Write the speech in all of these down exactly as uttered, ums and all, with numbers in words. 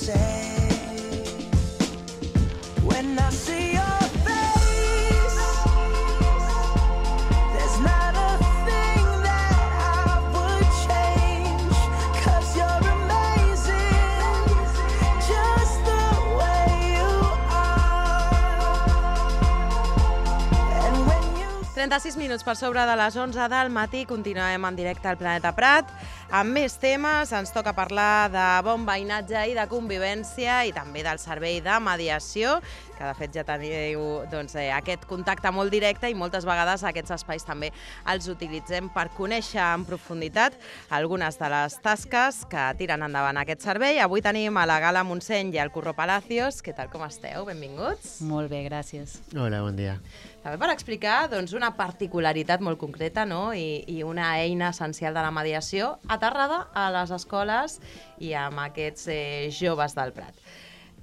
say when I see your face. There's not a thing that I would change, 'cause you're amazing just the way you are. And when you trenta-sis minuts per sobre de les onze del matí, continuem en directe al Planeta Prat. Amb més temes, ens toca parlar de bon veïnatge i de convivència i també del servei de mediació, que de fet ja teniu doncs, eh, aquest contacte molt directe i moltes vegades aquests espais també els utilitzem per conèixer en profunditat algunes de les tasques que tiren endavant aquest servei. Avui tenim a la Gala Montseny i al Curro Palacios. Què tal, com esteu? Benvinguts. Molt bé, gràcies. Hola, bon dia. També per explicar doncs, una particularitat molt concreta, no? I, i una eina essencial de la mediació aterrada a les escoles i amb aquests eh, joves del Prat.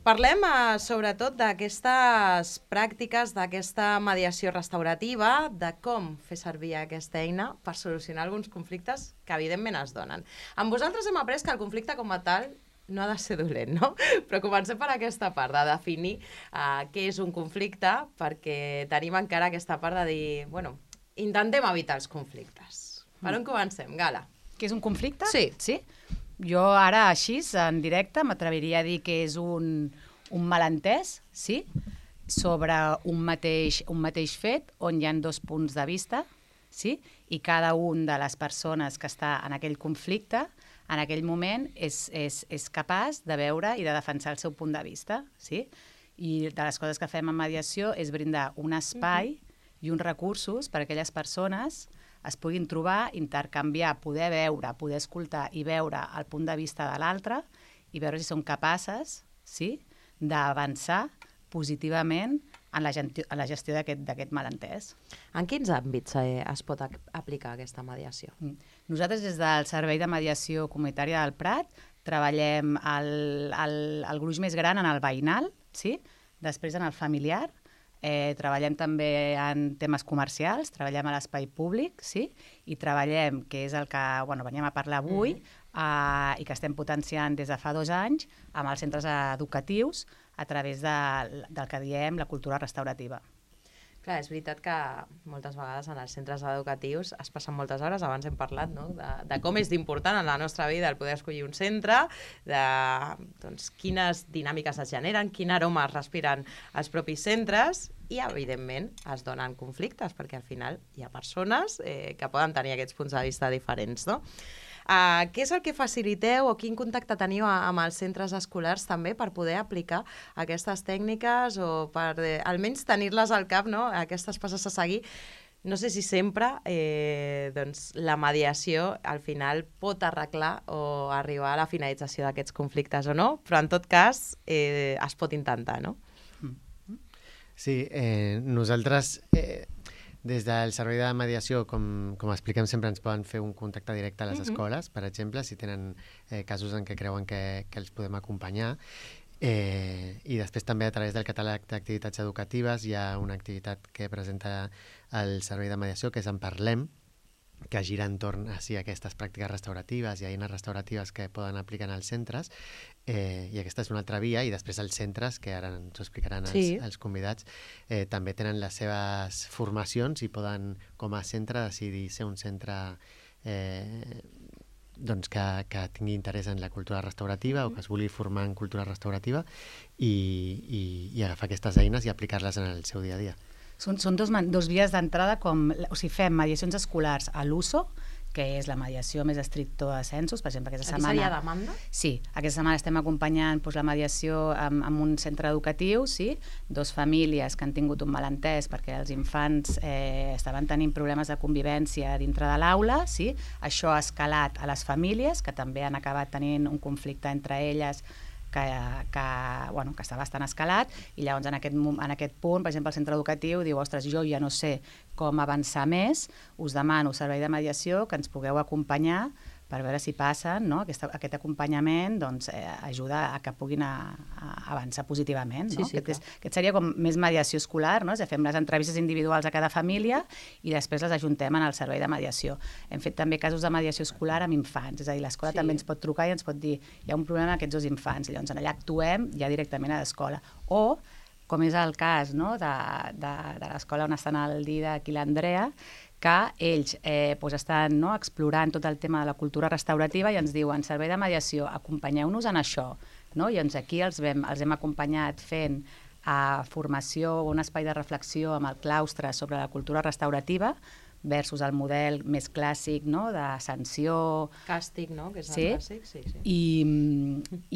Parlem eh, sobretot d'aquestes pràctiques, d'aquesta mediació restaurativa, de com fer servir aquesta eina per solucionar alguns conflictes que evidentment es donen. Amb vosaltres hem après que el conflicte com a tal no ha de ser dolent, no? Però comencem per aquesta part, de definir uh, què és un conflicte, perquè tenim encara aquesta part de dir, bueno, intentem evitar els conflictes. Per on comencem, Gala? Què és un conflicte? Sí. Sí? Jo ara, així, en directe, m'atreviria a dir que és un, un malentès, sí?, sobre un mateix, un mateix fet, on hi ha dos punts de vista, sí?, i cada un de les persones que està en aquell conflicte en aquell moment és, és, és capaç de veure i de defensar el seu punt de vista, sí? I de les coses que fem en mediació és brindar un espai uh-huh. i uns recursos per a aquelles persones es puguin trobar, intercanviar, poder veure, poder escoltar i veure el punt de vista de l'altre i veure si són capaces, sí?, d'avançar positivament en la, genti- en la gestió d'aquest, d'aquest malentès. En quins àmbits eh, es pot ap- aplicar aquesta mediació? Nosaltres, des del Servei de Mediació Comunitària del Prat, treballem el, el, el gruix més gran en el veïnal, sí? Després en el familiar, eh, treballem també en temes comercials, treballem a l'espai públic, sí? I treballem, que és el que bueno, veníem a parlar avui, mm. eh, i que estem potenciant des de fa dos anys, amb els centres educatius, a través de, del que diem la cultura restaurativa. Clar, és veritat que moltes vegades en els centres educatius es passen moltes hores, abans hem parlat no? de, de com és d'important en la nostra vida el poder escollir un centre, de doncs, quines dinàmiques es generen, quin aroma es respiren als propis centres i, evidentment, es donen conflictes, perquè al final hi ha persones eh, que poden tenir aquests punts de vista diferents, no? Uh, què és el que faciliteu o quin contacte teniu a, amb els centres escolars també per poder aplicar aquestes tècniques o per eh, almenys tenir-les al cap, no? Aquestes passes a seguir? No sé si sempre eh, doncs, la mediació al final pot arreglar o arribar a la finalització d'aquests conflictes o no, però en tot cas eh, es pot intentar, no? Sí, eh, nosaltres... Eh... Des del servei de mediació, com, com expliquem sempre, ens poden fer un contacte directe a les uh-huh. escoles, per exemple, si tenen eh, casos en què creuen que, que els podem acompanyar. Eh, I després també a través del catàleg d'activitats educatives hi ha una activitat que presenta el servei de mediació, que és En Parlem, que gira entorn a sí, aquestes pràctiques restauratives i eines restauratives que poden aplicar als centres, eh, i aquesta és una altra via, i després els centres, que ara ens ho explicaran els, sí. els convidats, eh, també tenen les seves formacions i poden, com a centre, decidir ser un centre eh, doncs que, que tingui interès en la cultura restaurativa o que es vulgui formar en cultura restaurativa i, i, i agafar aquestes eines i aplicar-les en el seu dia a dia. Són, són dos, dos vies d'entrada, com, o sigui, fem mediacions escolars a l'U S O, que és la mediació més estricta de censos, per exemple, aquesta Aquí setmana... seria demanda? Sí, aquesta setmana estem acompanyant doncs, la mediació amb, amb un centre educatiu, sí, dos famílies que han tingut un malentès perquè els infants eh, estaven tenint problemes de convivència dintre de l'aula, sí, això ha escalat a les famílies, que també han acabat tenint un conflicte entre elles que, que, bueno, que està bastant escalat, i llavors en aquest, en aquest punt, per exemple, el centre educatiu diu, ostres, jo ja no sé com avançar més, us demano servei de mediació que ens pugueu acompanyar per veure si passen, no? Aquest, aquest acompanyament doncs, eh, ajuda a que puguin a, a avançar positivament. No? Sí, sí, aquest, és, aquest seria com més mediació escolar, no? És a dir, fem les entrevistes individuals a cada família i després les ajuntem en el servei de mediació. Hem fet també casos de mediació escolar amb infants, és a dir, l'escola Sí. també ens pot trucar i ens pot dir hi ha un problema amb aquests dos infants, llavors allà actuem ja directament a l'escola. O, com és el cas, no? de, de, de l'escola on estan el Didac i l'Andrea, que ells eh, doncs estan, no? explorant tot el tema de la cultura restaurativa i ens diuen, servei de mediació, acompanyeu-nos en això. No? I doncs aquí els, vam, els hem acompanyat fent a formació, un espai de reflexió amb el claustre sobre la cultura restaurativa versus el model més clàssic, no? de sanció. Càstig, no? Que és Sí. el clàssic, sí, sí. I,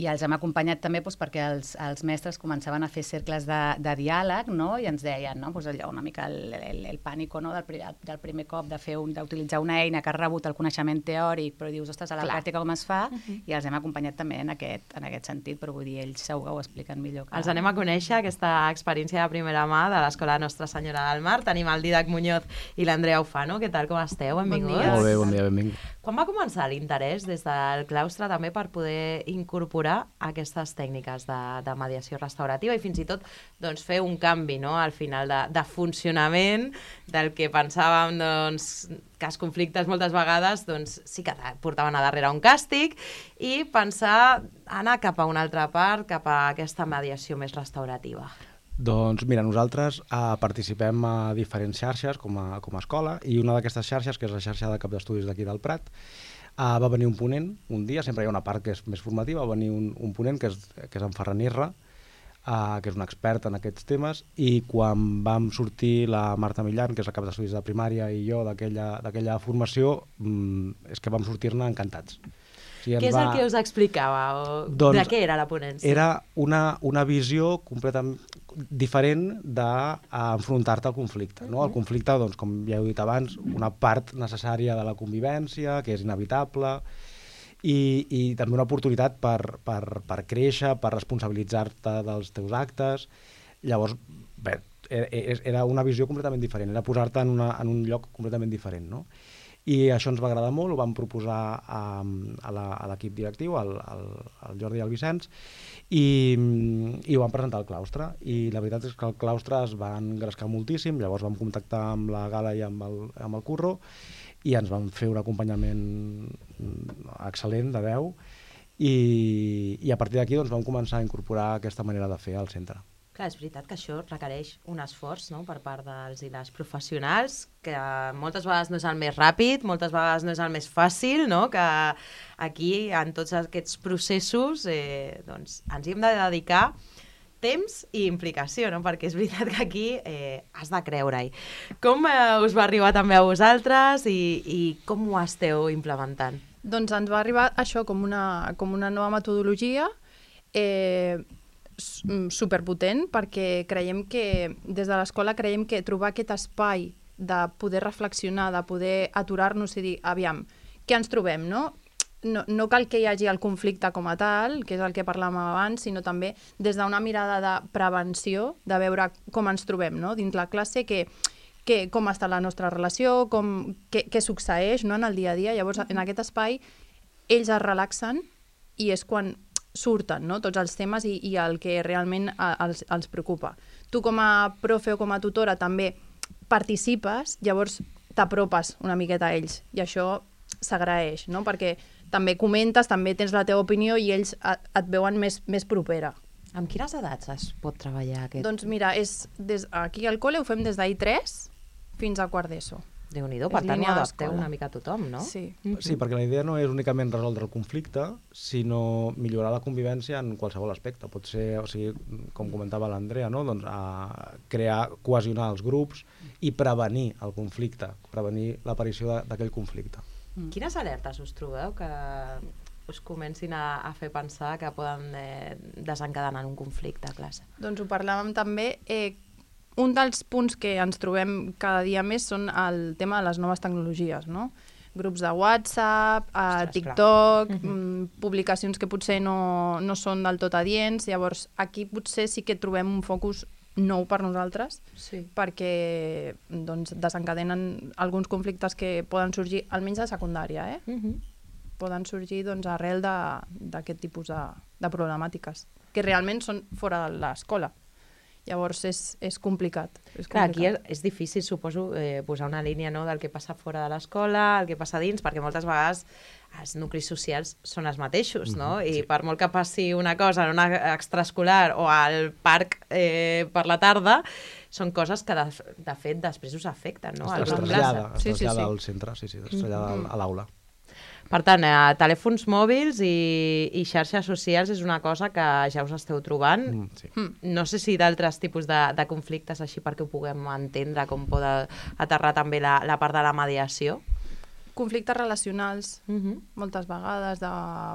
i els hem acompanyat també doncs, perquè els, els mestres començaven a fer cercles de, de diàleg, no? I ens deien, no? Pues allò, una mica el, el, el pànico, no? del, pri- del primer cop de fer un, d'utilitzar una eina que has rebut el coneixement teòric, però dius, ostres, a la Clar. pràctica com es fa, i els hem acompanyat també en aquest, en aquest sentit, però vull dir, ells segur que ho expliquen millor. Que... Els anem a conèixer, aquesta experiència de primera mà de l'Escola Nostra Senyora del Mar. Tenim el Didac Muñoz i l'Andrea Ufano. Què tal, com esteu? Benvinguts. dia. Molt bé, bon dia, benvingut. Quan va començar l'interès des del claustre també per poder incorporar aquestes tècniques de, de mediació restaurativa i fins i tot doncs, fer un canvi, no? Al final de, de funcionament del que pensàvem doncs, que els conflictes moltes vegades doncs, sí que portaven a darrere un càstig i pensar anar cap a una altra part, cap a aquesta mediació més restaurativa? Doncs mira, nosaltres eh, participem a diferents xarxes com a, com a escola i una d'aquestes xarxes, que és la xarxa de cap d'estudis d'aquí del Prat, eh, va venir un ponent un dia, sempre hi ha una part que és més formativa, va venir un, un ponent que és, que és en Ferran Irra, eh, que és un expert en aquests temes, i quan vam sortir la Marta Millan, que és la cap d'estudis de primària, i jo d'aquella d'aquella formació, mm, és que vam sortir-ne encantats. O sigui, Què és va... el que us explicava? O Doncs de què era la ponència? Era una, una visió completament diferent d'enfrontar-te al conflicte. No? El conflicte, doncs, com ja heu dit abans, una part necessària de la convivència, que és inevitable, i, i també una oportunitat per, per, per créixer, per responsabilitzar-te dels teus actes. Llavors, bé, era una visió completament diferent, era posar-te en, una, en un lloc completament diferent, no? I això ens va agradar molt, ho vam proposar a, a l'equip directiu, al, al, al Jordi i al Vicenç, i, i ho vam presentar al claustre. I la veritat és que el claustre es va engrescar moltíssim, llavors vam contactar amb la Gala i amb el, amb el Curro, i ens van fer un acompanyament excel·lent de veu, i, i a partir d'aquí doncs, vam començar a incorporar aquesta manera de fer al centre. Clar, és veritat que això requereix un esforç, no?, per part dels i les professionals, que moltes vegades no és el més ràpid, moltes vegades no és el més fàcil, no?, que aquí, en tots aquests processos, eh, doncs, ens hi hem de dedicar temps i implicació, no?, perquè és veritat que aquí eh, has de creure-hi. Com eh, us va arribar també a vosaltres i, i com ho esteu implementant? Doncs ens va arribar això com una, com una nova metodologia, eh, superpotent, perquè creiem que, des de l'escola creiem que trobar aquest espai de poder reflexionar, de poder aturar-nos i dir, aviam, què ens trobem, no? No, no cal que hi hagi el conflicte com a tal, que és el que parlàvem abans, sinó també des d'una mirada de prevenció, de veure com ens trobem, no? Dins la classe, que, que, com està la nostra relació, com, què, què succeeix, no?, en el dia a dia. Llavors, en aquest espai, ells es relaxen i és quan surten, no?, tots els temes i, i el que realment els, els preocupa. Tu com a profe o com a tutora també participes, llavors t'apropes una miqueta a ells i això s'agraeix, no?, perquè també comentes, també tens la teva opinió i ells et, et veuen més, més propera. Amb quines edats es pot treballar aquest? Doncs mira, és des, aquí al col·le ho fem des d'I tres fins a quart d'ESO. Déu-n'hi-do, per És tant ho línia adapteu d'escola. una mica a tothom, no? Sí. Sí, perquè la idea no és únicament resoldre el conflicte, sinó millorar la convivència en qualsevol aspecte. Pot ser, o sigui, com comentava l'Andrea, no? Doncs, a crear, cohesionar els grups i prevenir el conflicte, prevenir l'aparició d'aquell conflicte. Mm. Quines alertes us trobeu que us comencin a, a fer pensar que poden eh, desencadenar un conflicte a classe? Doncs ho parlàvem també. Eh, un dels punts que ens trobem cada dia més són el tema de les noves tecnologies, no? Grups de WhatsApp, eh, Ostres, TikTok, clar. mm, publicacions que potser no, no són del tot adients. Llavors, aquí potser sí que trobem un focus nou per nosaltres, Sí. perquè doncs, desencadenen alguns conflictes que poden sorgir, almenys a secundària, eh? Uh -huh. poden sorgir doncs, arrel de- d'aquest tipus de, de problemàtiques, que realment són fora de l'escola. Llavors és, és complicat. És Clar, aquí complicat. és, és difícil, suposo, eh, posar una línia, no?, del que passa fora de l'escola, el que passa dins, perquè moltes vegades els nuclis socials són els mateixos, no? I per molt que passi una cosa en una extraescolar o al parc eh, per la tarda, són coses que, de, de fet, després us afecten, no? Es Al grup trasllada, classe. es Sí, sí, trasllada sí. al centre, sí, sí, es trasllada al- a l'aula. Per tant, eh, telèfons mòbils i, i xarxes socials és una cosa que ja us esteu trobant. Mm, sí. No sé si d'altres tipus de, de conflictes, així perquè ho puguem entendre, com pot aterrar també la, la part de la mediació. Conflictes relacionals, Uh -huh. moltes vegades, de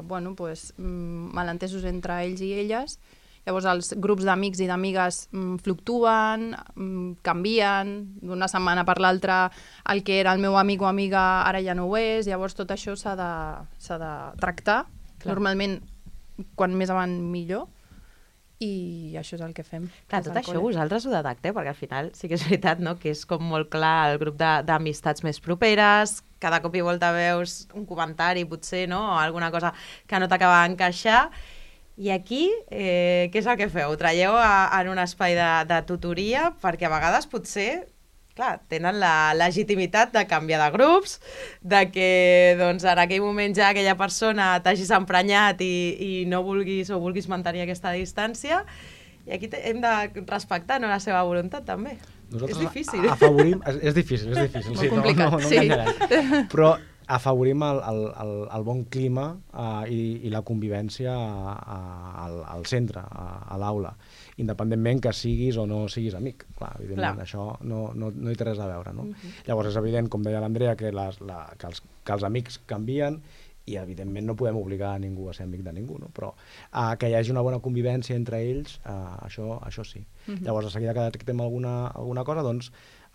bueno, pues, mm, malentesos entre ells i elles. Llavors els grups d'amics i d'amigues mm, fluctuen, mm, canvien, d'una setmana per l'altra el que era el meu amic o amiga ara ja no ho és, llavors tot això s'ha de, s'ha de tractar, Clar. normalment quan més avant millor, i això és el que fem. Clar, des tot del això col·le. vosaltres ho detecteu, perquè al final sí que és veritat, no?, que és com molt clar el grup de- d'amistats més properes, cada cop i volta veus un comentari, potser, no?, o alguna cosa que no t'acaba d'encaixar. I aquí, eh, què és el que feu? Ho traieu a, en un espai de, de tutoria, perquè a vegades potser, clar, tenen la legitimitat de canviar de grups, de que doncs, en aquell moment ja aquella persona t'hagis emprenyat i, i no vulguis o vulguis mantenir aquesta distància, i aquí te- hem de respectar, no?, la seva voluntat també. És difícil. a- afavorim... És, és difícil, és difícil. Molt sí, complicat, no, no, no sí. enganyarem. Però afavorim el, el, el, el bon clima uh, i, i la convivència a, a, al, al centre, a, a l'aula, independentment que siguis o no siguis amic. Clar, evidentment, Clar. això no, no, no hi té res a veure, no? Llavors és evident, com deia l'Andrea, que, les, la, que, els, que els amics canvien i evidentment no podem obligar a ningú a ser amic de ningú, no? Però uh, que hi hagi una bona convivència entre ells, uh, això, això sí. Llavors, a seguida que detectem alguna, alguna cosa, doncs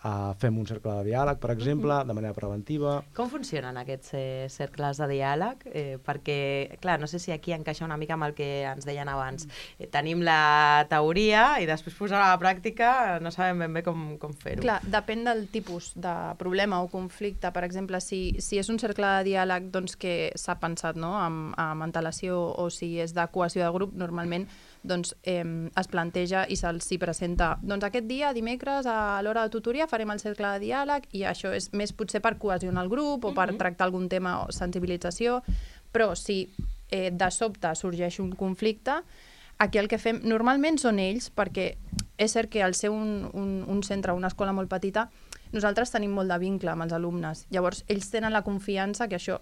uh, fem un cercle de diàleg, per exemple, de manera preventiva. Com funcionen aquests eh, cercles de diàleg? Eh, perquè, clar, no sé si aquí encaixa una mica amb el que ens deien abans. Eh, tenim la teoria i després posar a la pràctica no sabem ben bé com, com fer-ho. Clar, depèn del tipus de problema o conflicte. Per exemple, si, si és un cercle de diàleg doncs, que s'ha pensat, no?, amb, amb antelació, o si és de cohesió de grup, normalment doncs, eh, es planteja i se'ls hi presenta. Doncs aquest dia, dimecres, a l'hora de tutoria, farem el cercle de diàleg, i això és més potser per cohesionar el grup o per tractar algun tema o sensibilització, però si eh, de sobte sorgeix un conflicte, aquí el que fem normalment són ells, perquè és cert que al ser un, un, un centre, una escola molt petita, nosaltres tenim molt de vincle amb els alumnes. Llavors, ells tenen la confiança, que això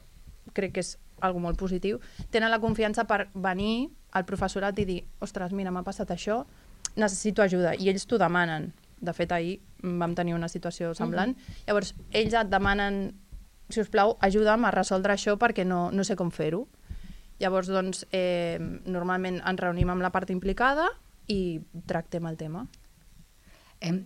crec que és algo molt positiu, tenen la confiança per venir al professorat i dir, ostres, mira, m'ha passat això, necessito ajuda, i ells t'ho demanen. De fet, ahir vam tenir una situació semblant. Llavors, ells et demanen, si us plau, ajuda'm a resoldre això perquè no, no sé com fer-ho. Llavors, doncs, eh, normalment ens reunim amb la part implicada i tractem el tema. Em,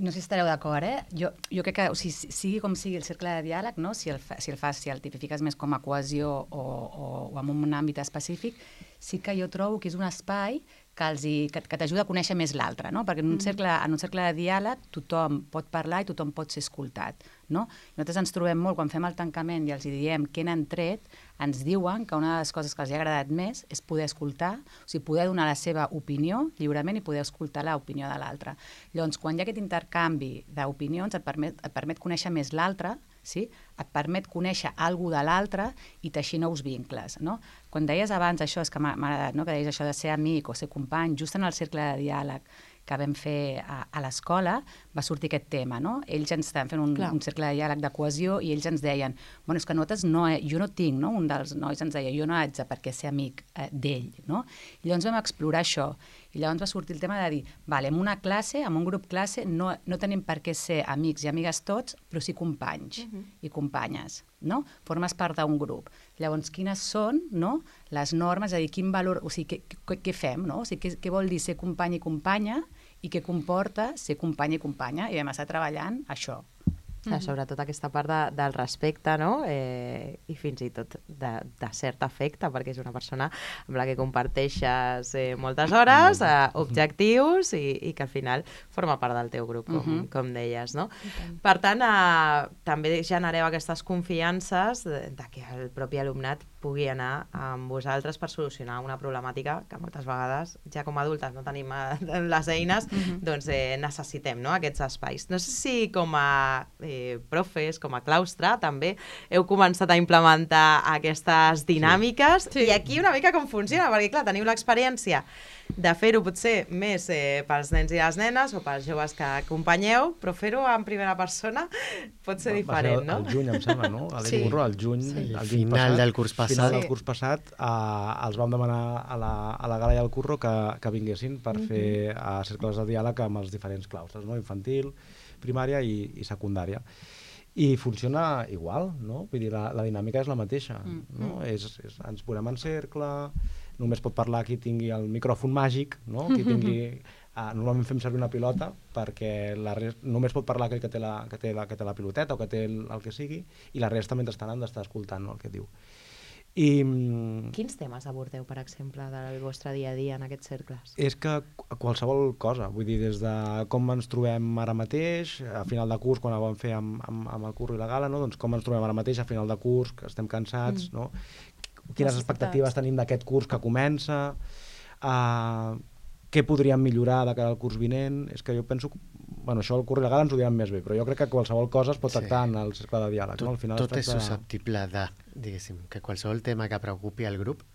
no sé si estareu d'acord, eh? Jo, jo crec que, o sigui, sigui com sigui el cercle de diàleg, no? si, el fa, si el fas, si el tipifiques més com a cohesió o, o, o en un àmbit específic, sí que jo trobo que és un espai que, els hi, que, que t'ajuda a conèixer més l'altre, no? Perquè en un, cercle, en un cercle de diàleg tothom pot parlar i tothom pot ser escoltat, no? Nosaltres ens trobem molt, quan fem el tancament i els hi diem què n'han tret, ens diuen que una de les coses que els ha agradat més és poder escoltar, o sigui, poder donar la seva opinió lliurement i poder escoltar l'opinió de l'altre. Llavors, quan hi ha aquest intercanvi d'opinions, et permet, et permet conèixer més l'altre, sí? Et permet conèixer alguna de l'altre i teixir nous vincles, no? Quan deies abans això, és que m'ha agradat, no? Que deies això de ser amic o ser company, just en el cercle de diàleg que vam fer a, a l'escola va sortir aquest tema, no? Ells ens estaven fent un, un cercle de diàleg de cohesió i ells ens deien, bueno, és que nosaltres no, jo no tinc, no? Un dels nois ens deia, jo no haig de per què ser amic eh, d'ell, no? I llavors vam explorar això i llavors va sortir el tema de dir, vale, en una classe, en un grup classe, no, no tenim per què ser amics i amigues tots, però sí companys uh-huh. i companyes, no? Formes part d'un grup. Llavors, quines són, no?, les normes, és a dir, quin valor, o sigui, què, què, què fem, no? O sigui, què, què vol dir ser company i companya i què comporta ser company i companya, i vam estar treballant això. Mm -hmm. Sobretot aquesta part de, del respecte, no? Eh, i fins i tot de, de cert afecte, perquè és una persona amb la que comparteixes eh, moltes hores, eh, objectius, i, i que al final forma part del teu grup, com, mm -hmm. com deies, no? Per tant, eh, també genereu aquestes confiances de, de que el propi alumnat pugui anar amb vosaltres per solucionar una problemàtica que moltes vegades, ja com a adultes no tenim eh, les eines, mm -hmm. doncs eh, necessitem, no?, aquests espais. No sé si com a eh, profes, com a claustre, també heu començat a implementar aquestes dinàmiques, sí. I aquí una mica com funciona, perquè clar, teniu l'experiència de fer-ho potser més eh, pels nens i les nenes o pels joves que acompanyeu, però fer-ho en primera persona pot ser va, diferent, va ser no? el juny, em sembla, no? A Sí. l'Egurro, al juny, Sí. el juny Final passat, del curs passat. Final del Sí. curs passat, eh, els vam demanar a la, a la gala i al curro que, que vinguessin per uh-huh. fer eh, cercles de diàleg amb els diferents claustres, no? Infantil, primària i, i secundària. I funciona igual, no? Vull dir, la, la dinàmica és la mateixa, mm. no? És, és, ens posem en cercle, només pot parlar qui tingui el micròfon màgic, no? Qui tingui... Uh, normalment fem servir una pilota perquè la res... només pot parlar aquell que té la, que té la, que té la piloteta o que té el, el que sigui, i la resta mentrestant han d'estar escoltant, no?, el que diu. I, Quins temes abordeu, per exemple, del vostre dia a dia en aquests cercles? és que qualsevol cosa, vull dir, des de com ens trobem ara mateix, a final de curs, quan ho vam fer amb, amb, amb el curro i la gala, no? Doncs com ens trobem ara mateix a final de curs, que estem cansats, mm. no? Quines expectatives tenim d'aquest curs que comença, uh, què podríem millorar de cara al curs vinent. És que jo penso, bueno, això al curro i la gala ens ho diran més bé, però jo crec que qualsevol cosa es pot tractar sí. en el cercle de diàleg. Tot, no? Al final tot és tracta... susceptible de, diguéssim, que qualsevol tema que preocupi el grup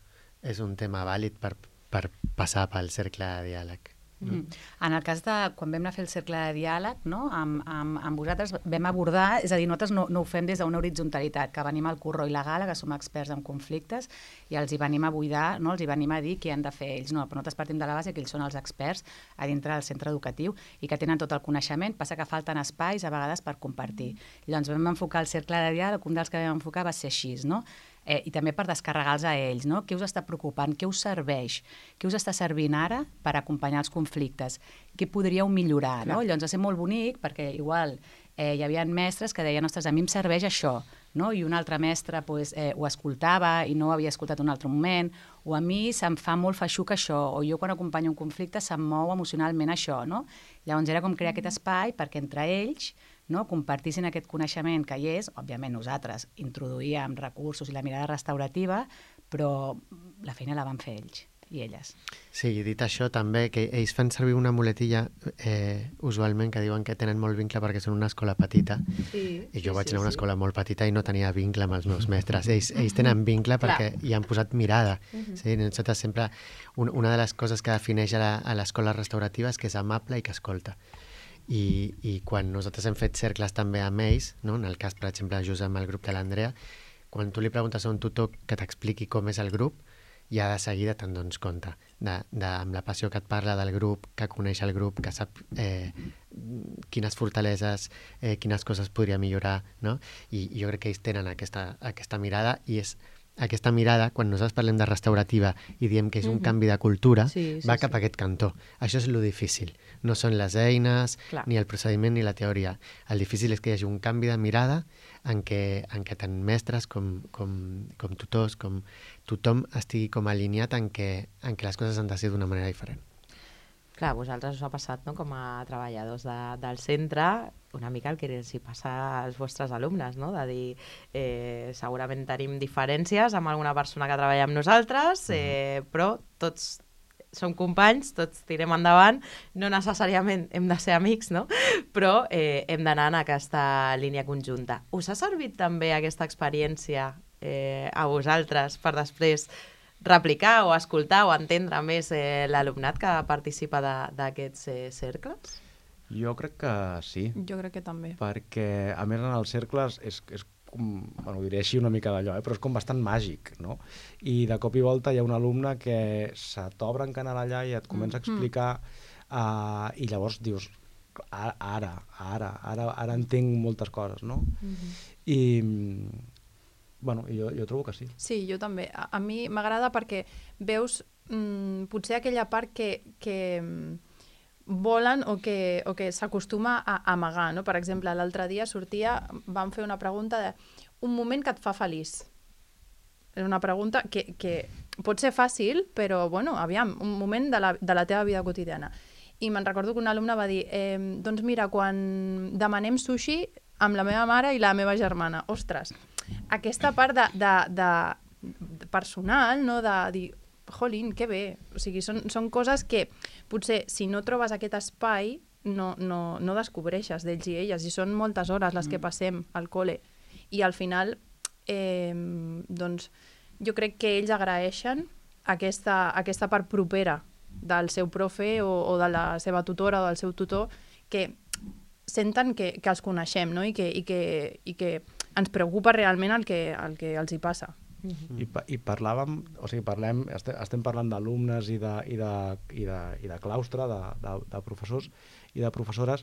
és un tema vàlid per, per passar pel cercle de diàleg. Mm -hmm. En el cas de quan vam anar a fer el cercle de diàleg, no? amb, amb, amb vosaltres vam abordar, és a dir, nosaltres no, no ho fem des d'una horitzontalitat, que venim al curro i la gala, que som experts en conflictes, i els hi venim a buidar, no? Els hi venim a dir què han de fer ells. No, però nosaltres partim de la base que ells són els experts a dintre del centre educatiu i que tenen tot el coneixement, passa que falten espais a vegades per compartir. Llavors vam enfocar el cercle de diàleg, un dels que vam enfocar va ser així, no? Eh, i també per descarregar-los a ells, no? Què us està preocupant, què us serveix, què us està servint ara per acompanyar els conflictes, què podríeu millorar, no? Llavors va ser molt bonic perquè igual eh, hi havia mestres que deien, ostres, a mi em serveix això, no? I un altre mestre pues, eh, ho escoltava i no ho havia escoltat un altre moment, o a mi se'm fa molt feixuc això, o jo quan acompanyo un conflicte se'm mou emocionalment això, no? Llavors era com crear aquest espai perquè entre ells no, compartissin aquest coneixement que hi és, òbviament nosaltres introduïem recursos i la mirada restaurativa, però la feina la van fer ells i elles. Sí, dit això també, que ells fan servir una muletilla eh, usualment que diuen que tenen molt vincle perquè són una escola petita, Sí, i jo sí, vaig sí, anar a una sí. escola molt petita i no tenia vincle amb els meus mestres. Ells, ells tenen vincle perquè hi han posat mirada. Sí? Nosaltres sempre, un, una de les coses que defineix a l'escola restaurativa és que és amable i que escolta. I, i quan nosaltres hem fet cercles també amb ells, no? En el cas, per exemple, just amb el grup de l'Andrea, quan tu li preguntes a un tutor que t'expliqui com és el grup, ja de seguida te'n dones compte, de, de, amb la passió que et parla del grup, que coneix el grup, que sap eh, quines fortaleses, eh, quines coses podria millorar, no? I, i jo crec que ells tenen aquesta, aquesta mirada, i és aquesta mirada, quan nosaltres parlem de restaurativa i diem que és un Mhm. canvi de cultura, Sí, sí, va sí. cap a aquest cantó. Això és lo difícil. No són les eines, Clar. ni el procediment, ni la teoria. El difícil és que hi hagi un canvi de mirada en què, en què tant mestres com, com, com tutors, com tothom estigui com alineat en què, en què les coses han de ser d'una manera diferent. Clar, a vosaltres us ha passat, no?, com a treballadors de, del centre, una mica el que els hi passa als vostres alumnes, no?, de dir, eh, segurament tenim diferències amb alguna persona que treballa amb nosaltres, eh, però tots som companys, tots tirem endavant, no necessàriament hem de ser amics, no?, però eh, hem d'anar en aquesta línia conjunta. Us ha servit també aquesta experiència eh, a vosaltres per després replicar o escoltar o entendre més eh, l'alumnat que participa d'aquests eh, cercles? Jo crec que sí, Jo crec que també. perquè a més en els cercles és, és com, bueno, ho diré així una mica d'allò, eh? Però és com bastant màgic, no? I de cop i volta hi ha un alumne que se t'obre en canal allà i et comença a explicar uh, i llavors dius, ara, ara, ara, ara, ara entenc moltes coses, no? I, bueno, jo, jo trobo que sí. Sí, jo també. A, a mi m'agrada perquè veus mm, potser aquella part que, que mm, volen o que, o que s'acostuma a amagar, no? Per exemple, l'altre dia sortia, vam fer una pregunta de un moment que et fa feliç. És una pregunta que, que pot ser fàcil, però, bueno, aviam, un moment de la, de la teva vida quotidiana. I me'n recordo que un alumne va dir, eh, doncs mira, quan demanem sushi amb la meva mare i la meva germana, ostres, aquesta part de, de, de, de personal, no?, de dir, jolín, que bé. O sigui, són, són coses que potser si no trobes aquest espai no, no, no descobreixes d'ells i elles, i són moltes hores les que passem al col·le. I al final, eh, doncs, jo crec que ells agraeixen aquesta, aquesta part propera del seu profe o, o de la seva tutora o del seu tutor, que senten que, que els coneixem, no? I, que, i, que, i que ens preocupa realment el que, el que els hi passa. I, i parlàvem, o sigui, parlem, estem, estem parlant d'alumnes i de, i, de, i, de, i de claustre, de, de, de professors i de professores,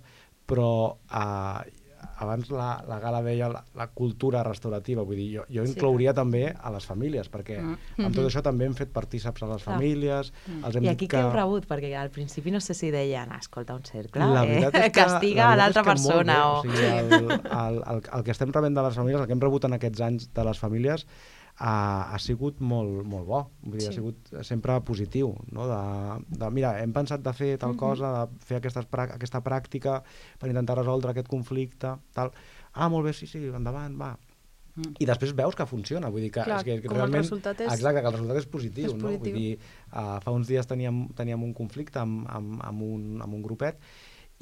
però eh, abans la, la Gala deia la, la cultura restaurativa, vull dir, jo, jo inclouria sí, també a les famílies, perquè mm. amb tot això també hem fet partíceps a les famílies. Mm. Els hem I aquí que... què heu rebut? Perquè al principi no sé si deien, escolta, un cercle, la eh? que, castiga a l'altra persona. O... O... o sigui, el, el, el, el que estem rebent de les famílies, el que hem rebut en aquests anys de les famílies, ha, ha sigut molt, molt bo, vull dir, sí. ha sigut sempre positiu, no? de, de, mira, hem pensat de fer tal cosa, de fer aquestes, aquesta pràctica per intentar resoldre aquest conflicte, tal. Ah, molt bé, sí, sí, endavant, va. Mm. I després veus que funciona, vull dir que, Clar, és que com realment, el resultat és... Exacte, que el resultat és positiu, és no? positiu. Vull dir, uh, fa uns dies teníem, teníem un conflicte amb, amb, amb, un, amb un grupet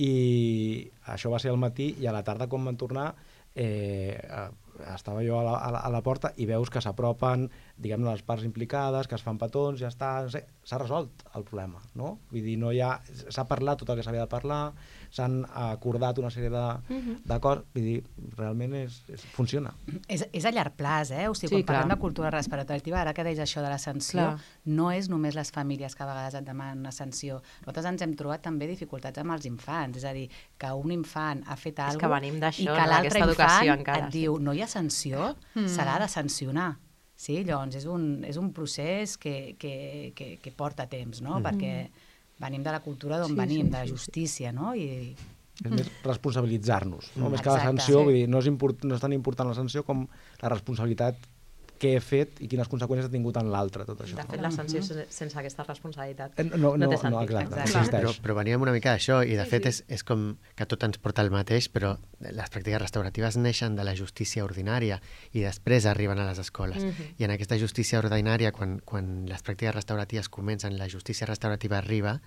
i això va ser al matí i a la tarda quan van tornar eh, uh, estava jo a la, a la, a la porta i veus que s'apropen, diguem-ne, les parts implicades, que es fan petons, ja està, no sé, s'ha resolt el problema, no? Vull dir, no hi ha, s'ha parlat tot el que s'havia de parlar, s'han acordat una sèrie de, uh-huh. de coses, vull dir, realment és, és, funciona. És, és a llarg plaç, eh? O sigui, Sí, quan parlem clar. de cultura restaurativa, ara que deies això de la sanció, Clar. no és només les famílies que a vegades et demanen una sanció. Nosaltres ens hem trobat també dificultats amb els infants, és a dir, que un infant ha fet alguna que venim d'això, i no? que l'altre D'aquesta educació infant encara, et sí. diu, no hi ha sanció, mm. serà de sancionar. Sí, llavors és un, és un procés que, que, que, que porta temps, no? Mm. Perquè venim de la cultura d'on Sí, venim, sí, de la sí, justícia, no? I... És més responsabilitzar-nos, no? Mm, Més que la exacte, sanció, sí. vull dir, no és, import, no és tan important la sanció com la responsabilitat que he fet i quines conseqüències ha tingut en l'altre, tot això. De fet, la sanció uh-huh. sense aquesta responsabilitat Eh, no, no, no té sentit. no, exacte, Exacte. existeix. Però, però veníem una mica d'això i de Sí, fet sí. és, és com que tot ens porta al mateix, però les pràctiques restauratives neixen de la justícia ordinària i després arriben a les escoles. Mhm. I en aquesta justícia ordinària, quan, quan les pràctiques restauratives comencen, la justícia restaurativa arriba,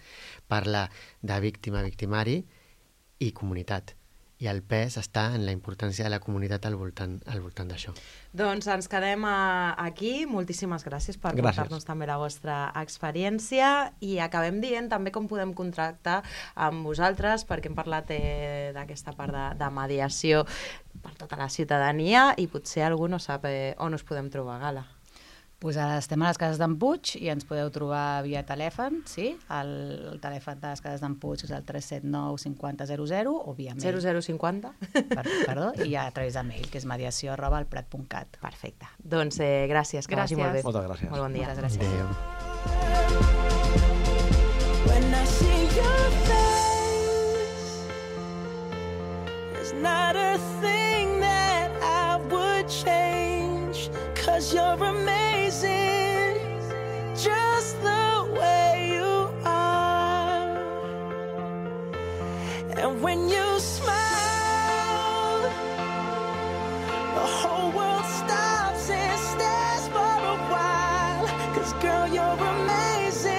parla de víctima, victimari i comunitat. I el pes està en la importància de la comunitat al voltant, al voltant d'això. Doncs ens quedem a, aquí. Moltíssimes gràcies per Gràcies. portar-nos també la vostra experiència i acabem dient també com podem contractar amb vosaltres, perquè hem parlat eh, d'aquesta part de, de mediació per tota la ciutadania i potser algú no sap eh, on us podem trobar, Gala. Pues ara estem a les Cases d'en Puig i ens podeu trobar via telèfon, sí? El, el telèfon de les Cases d'en Puig és el tres set nou cinquanta zero zero o via mail. zero zero cinquanta? Per, perdó, i a través de mail, que és mediació arroba alprat punt cat. Perfecte. Doncs eh, gràcies, que vagi molt bé. Gràcies. Moltes gràcies. Molt bon dia. Moltes gràcies. Adéu. When I see your face, there's not a thing that I would change, 'cause you're amazing, just the way you are. And when you smile, the whole world stops and stares for a while, 'cause girl, you're amazing.